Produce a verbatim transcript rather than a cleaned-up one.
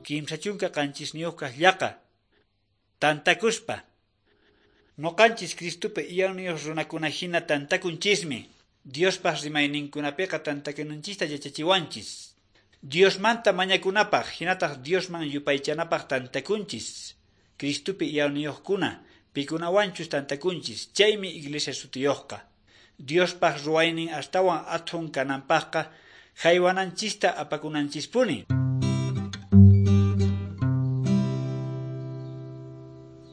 Kimsa chunka qanchisniyuq llaqa. Tantakuspa. Noqanchis Cristopi iyawniyuq runakuna hina tantakunchismi. Diospaq rimayninkunapiqa tantakunanchista yachachiwanchis. Diosmanta mañakunapaq hinataq Diosman yupaychanapaq tantakunchis. Cristopi iyawniyuqkuna pikunawanchus tantakunchis, chaymi iglesia sutiyuqqa. Diospaq ruwaynin astawan athun kananpaqqa haywananchista apakunanchispuni.